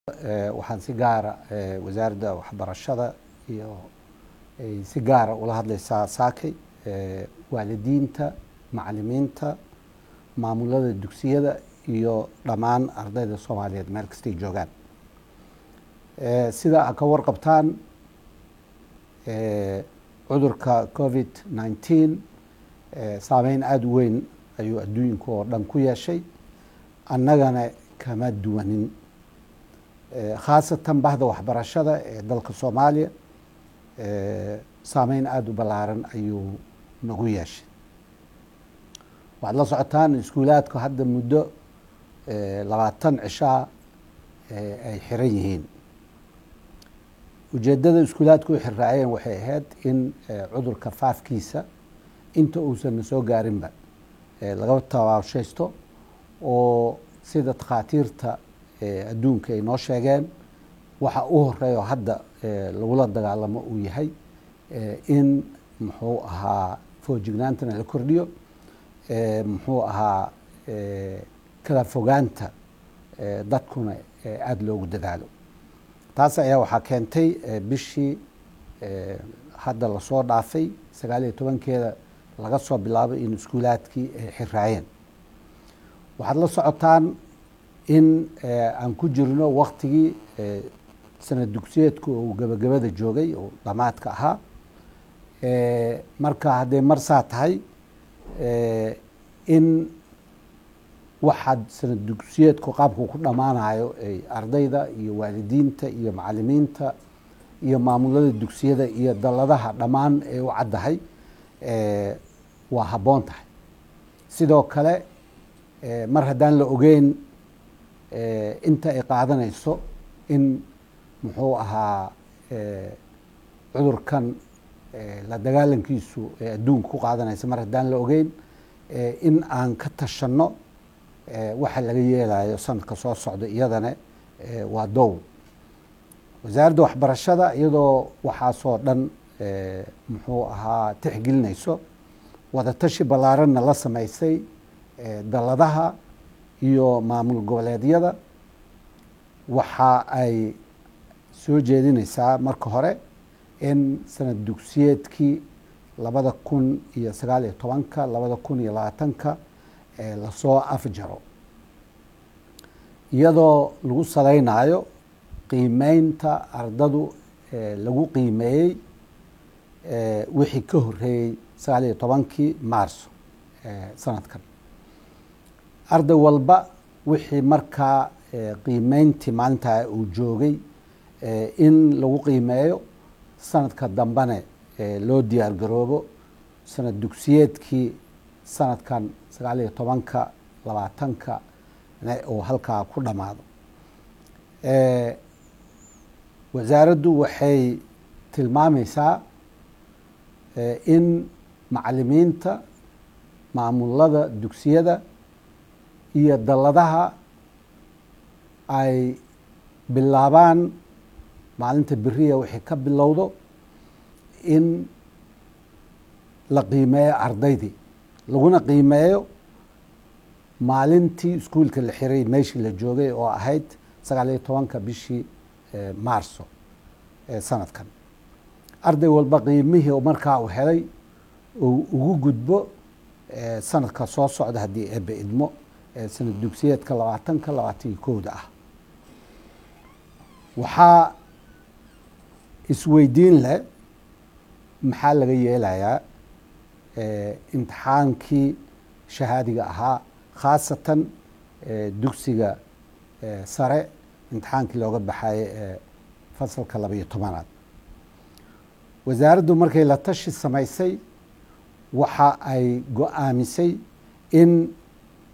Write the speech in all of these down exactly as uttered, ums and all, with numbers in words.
Waxaan si gaara wasaaradda waxbarashada iyo ay si gaara ula hadlaysaa saakay waalidiinta, macalimiinta, maamulada dugsiyada iyo dhammaan ardayda Soomaaliyeed meel kastay joogaan. Sida aad ka warqabtaan, cudurka covid nineteen saameyn aada u weyn ayuu adduunka oo dhan ku yeeshay, annagana kama duwanin, khaasatan bahda waxbarashada ee dalka Soomaaliya saameyn aada u ballaaran ayuu nagu yeeshay. Waxaad la socotaan iskuulaadku hadda muddo labaatan cishaa ay xiran yihiin. Ujeeddada iskuulaadku u xirraayeen waxay ahayd in cudurka faafkiisa inta uusan na soo gaarinba laga tabaabshaysto, oo sida takhaatiirta adduunka ay noo sheegeen waxa u horeeya oo hadda lagula dagaalamo uu yahay in muxuu ahaa foojignaantana la kordhiyo, muxuu ahaa kala fogaanta dadkuna aada loogu dadaalo. Taas ayaa waxaa keentay bishii hadda lasoo dhaafay sagaal iyo tobankeeda laga soo bilaabo in iskuulaadkii ay xiraayeen. Waxaad la socotaan in aan ku jirno waktigii sanad dugsiyeedku uu gabagabada joogay oo dhamaadka ahaa. Marka hadday mar saa tahay, in waxaad sanad dugsiyeedku qaabku ku dhammaanayo ay ardayda iyo waalidiinta iyo macalimiinta iyo maamulada dugsiyada iyo dalladaha dhammaan ay u caddahay waa habboon tahay. Sidoo kale, mar haddaan la ogeyn inta ay qaadanayso in muxuu ahaa cudurkan la dagaalankiisu ee adduunka ku qaadanaysa, mar haddaan la ogeyn, in aan ka tashanno waxa laga yeelayo sanadka soo socda iyadana waa dow. Wasaaradda waxbarashada iyadoo waxaasoo dhan muxuu ahaa tixgelinayso, wadatashi ballaaranna la samaysay dalladaha iyo maamul goboleedyada, waxa ay soo jeedinaysaa marka hore in sanad dugsiyeedkii labada kun iyo sagaal iyo tobanka labada kun iyo labaatanka lasoo afjaro, iyadoo lagu salaynayo qiimeynta ardadu lagu qiimeeyey wixii ka horreeyey sagaal iyo tobankii Maarso sanadkan. Arday walba wixii markaa qiimeyntii maalintaa uu joogay in lagu qiimeeyo, sanadka dambene loo diyaar garoobo sanad dugsiyeedkii sanadkan sagaal iyo tobanka labaatanka oo halkaa ku dhammaado. Wasaaraddu waxay tilmaamaysaa in macalimiinta, maamulada dugsiyada iyo dalladaha ay bilaabaan maalinta beriya wixii ka bilowdo in la qiimeeyo ardaydii, laguna qiimeeyo maalintii iskuulka la xiray meeshii la joogay oo ahayd sagaal iyo tobanka bishii Maarso sanadkan. Arday walba qiimihii markaa uu helay uu ugu gudbo sanadka soo socda haddii Eebbe idmo, sanad dugsiyeedka labaatanka labaatan iyo kowda ah. Waxaa isweydiin leh, maxaa laga yeelayaa imtixaankii shahaadiga ahaa, khaasatan dugsiga sare imtixaankii looga baxayo ee fasalka laba iyo tobanaad? Wasaaraddu markay la tashi samaysay waxa ay go-aamisay in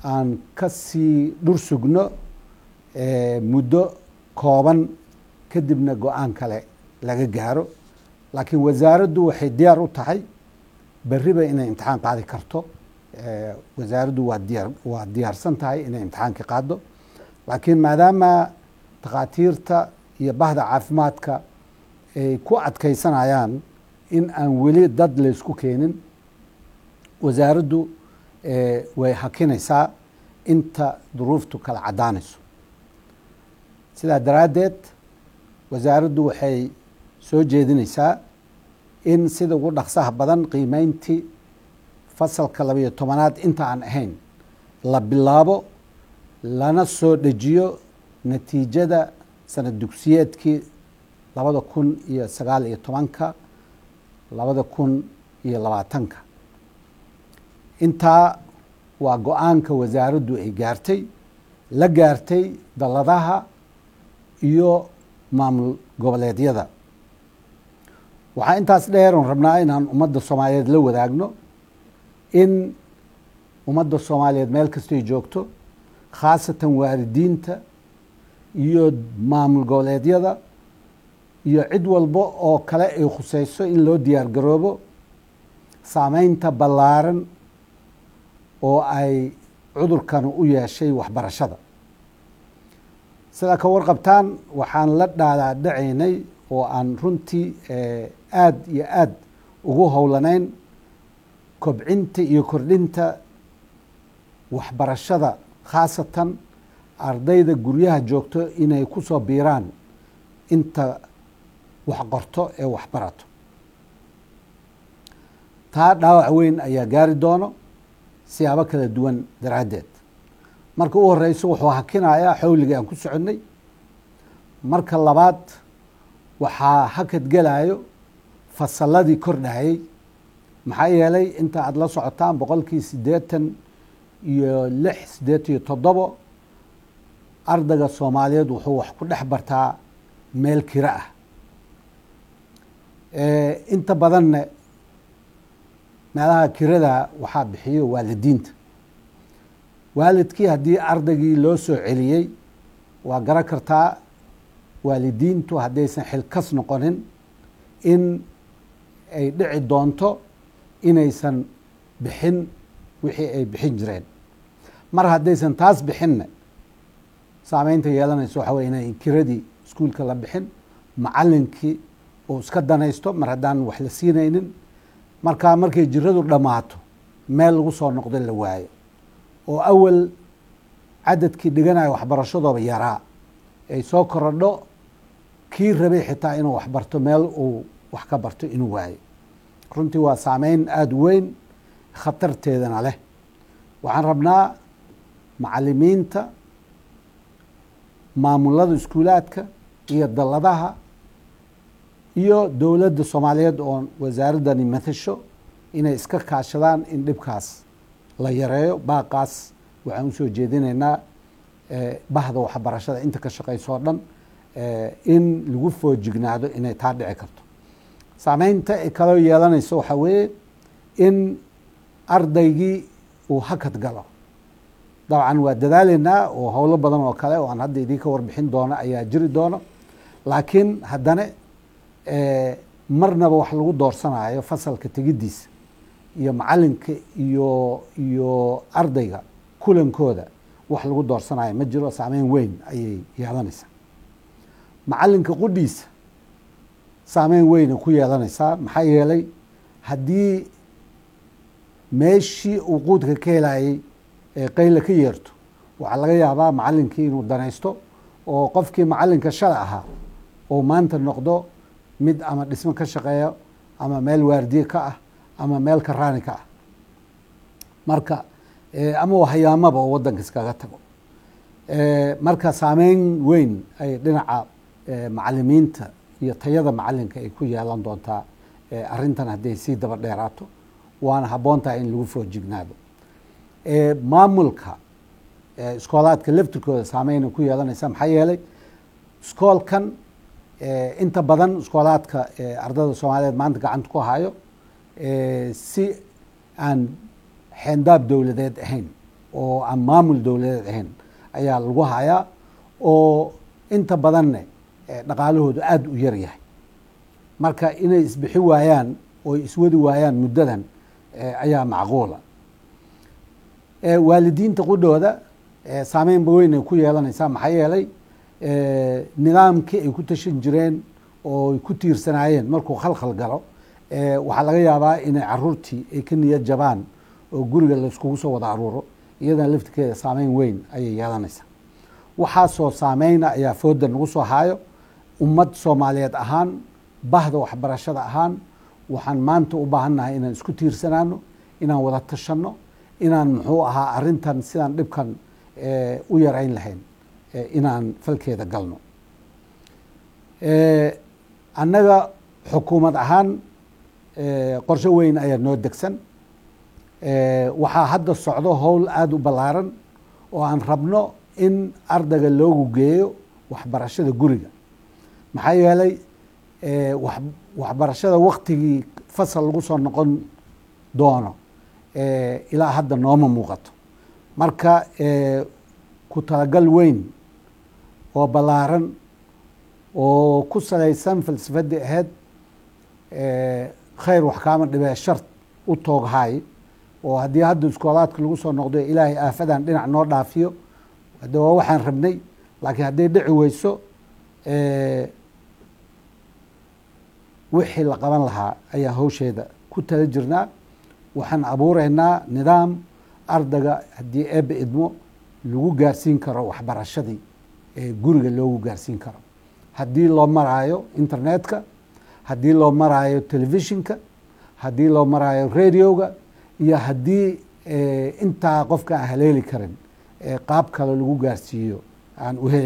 aan ka sii dhur sugno muddo kooban, kadibna go-aan kale laga gaaro. Laakiin wasaaraddu waxay diyaar u tahay berriba inay imtixaan qaadi karto. Wasaaraddu waa diyaar, waa diyaarsan tahay inay imtixaankii qaado, laakiin maadaama takhaatiirta iyo bahda caafimaadka ay ku adkaysanayaan in aan weli dad laysku keenin, wasaaraddu way hakinaysaa inta duruuftu kala caddaanayso. Sidaa daraaddeed wasaaraddu waxay soo jeedinaysaa in sida ugu dhaqsaha badan qiimeyntii fasalka labiyo tobanaad inta aan ahayn la bilaabo, lana soo dejiyo natiijada sanad dugsiyeedkii labada kun iyo sagaal iyo tobanka labada kun iyo labaatanka. Intaa waa go-aanka wasaaraddu ay gaartay, la gaartay dalladaha iyo maamul goboleedyada. Waxaa intaas dheer oon rabnaa inaan ummadda Soomaaliyeed la wadaagno in ummadda Soomaaliyeed meel kastay joogto, khaasatan waalidiinta iyo maamul goboleedyada iyo cid walba oo kale ay khuseyso, in loo diyaar garoobo saameynta ballaaran oo ay cudurkan u yeeshay waxbarashada. Sidaa ka warqabtaan, waxaan la dhaalaadhacaynay oo aan runtii aada iyo aada ugu howlanayn kobcinta iyo kordhinta waxbarashada, khaasatan ardayda guryaha joogto inay ku soo biiraan inta wax qorto ee wax barato. Taa dhaawac weyn ayaa gaari doono siyaabo kala duwan daraaddeed. Marka u horeyso, wuxuu hakinayaa xawligii aan ku soconnay. Marka labaad, waxaa hakad gelayo fasalladii kordhayay, maxaa yeelay inta aada la socotaan boqolkii siddeetan iyo lix, siddeetan iyo toddobo ardayga Soomaaliyeed wuxuu wax ku dhex bartaa meel kiro ah. Inta badanna meelaha kirada waxaa bixiyo waalidiinta. Waalidkii haddii ardaygii loo soo celiyey, waa garan kartaa waalidiintu haddaysan xilkas noqonin in ay dhici doonto inaysan bixin wixii ay bixin jireen. Mar haddaysan taas bixinna, saameynta yeelanayso waxa wey inay kiradii iskuulka la bixin, macallinkii uu iska danaysto mar haddaan wax la siinaynin. Markaa markay jiradu dhammaato, meel lagu soo noqdo la waayo, oo awal cadadkii dhiganayo waxbarashadooba yaraa ay soo korodho, kii rabay xitaa inuu waxbarto meel uu wax ka barto inuu waayo. Runtii waa saameyn aada u weyn, khatarteedana leh. Waxaan rabnaa macalimiinta, maamulada iskuulaadka iyo dalladaha iyo dowladda Soomaaliyeed oo wasaaraddani matasho inay iska kaashadaan in dhibkaas la yareeyo. Baaqaas waxaan usoo jeedinaynaa bahda waxbarashada inta ka shaqeyso o dhan in lagu foojignaado inay taa dhici karto. Saameynta ay kaloo yeelanayso waxaa weeye in ardaygii uu hakad galo. Dabcan waa dadaaleynaa oo howlo badan oo kale oo aan hadda idinka warbixin doono ayaa jiri doono, laakiin haddana marnaba wax lagu doorsanayo fasalka tegiddiisa iyo macalinka iyo iyo ardayga kulankooda wax lagu doorsanayo ma jiro. Saameyn weyn ayay yeelanaysaa. Macalinka qudhiisa saameyn weyna ku yeelanaysaa, maxaa yeelay haddii meeshii uu quudka ka helayay ee qayla ka yeerto, waxaa laga yaabaa macalinkii inuu danaysto oo qofkii macalinka shala ahaa oo maanta noqdo mid ama dhismo ka shaqeeya ama meel waardiye ka ah ama meel karaani ka ah, marka ama hayaamaba oo waddanka iskaga tago. Marka saameyn weyn ay dhinaca macalimiinta iyo tayada macalinka ay ku yeelan doontaa arrintan hadday sii daba dheeraato, waana habboon tahay in lagu foojignaado. Maamulka iskoolaadka laftirkooda saameyna ku yeelanaysa, maxaa yeelay iskoolkan inta badan iskoolaadka ardada Soomaaliyeed maanta gacanta ku hayo si aan xeendaab dowladeed ahayn oo aan maamul dowladeed ahayn ayaa lagu hayaa, oo inta badanne dhaqaalahoodu aada u yar yahay. Marka inay isbixi waayaan oo iswadi waayaan muddadan ayaa macquula. Waalidiinta qudhooda saameynba weyn ay ku yeelanaysaa, maxaa yeelay nidaamkii ay ku tashan jireen oo ay ku tiirsanaayeen markuu khalkhal galo, waxaa laga yaabaa inay caruurtii ay ka niyad jabaan oo guriga laiskugu soo wada aruuro. Iyadana laftirkeeda saameyn weyn ayay yeelanaysaa. Waxaasoo saameyna ayaa fooda nagu soo haayo. Ummad Soomaaliyeed ahaan, bahda waxbarashada ahaan, waxaan maanta u baahannahay inaan isku tiirsanaano, inaan wada tashanno, inaan muxuu ahaa arrintan sidaan dhibkan u yarayn lahayn inaan falkeeda galno. Annaga xukuumad ahaan qorshe weyn ayaa noo degsan. Waxaa hadda socdo howl aada u ballaaran oo aan rabno in ardayga loogu geeyo waxbarashada guriga, maxaa yeelay waxbarashada waktigii fasal lagu soo noqon doono ilaa hadda nooma muuqato. Marka ku talagal weyn oo ballaaran oo ku salaysan falsafadii ahayd khayr wax kaama dhibee shar u tooghaay, oo haddii hadda iskoolaadka lagu soo noqdo Ilaahay aafadan dhinac noo dhaafiyo, hadde waa waxaan rabnay, laakiin hadday dhici weyso wixii la qaban lahaa ayaa hawsheeda ku tala jirnaa. Waxaan abuureynaa nidaam ardayga haddii Eebbe idmo lagu gaarsiin karo waxbarashadii ee guriga loogu gaarsiin karo, haddii loo maraayo internetka, haddii loo maraayo telefishinka, haddii loo maraayo radioga, iyo haddii intaa qofka aan haleeli karin qaab kale lagu gaarsiiyo aan u heli.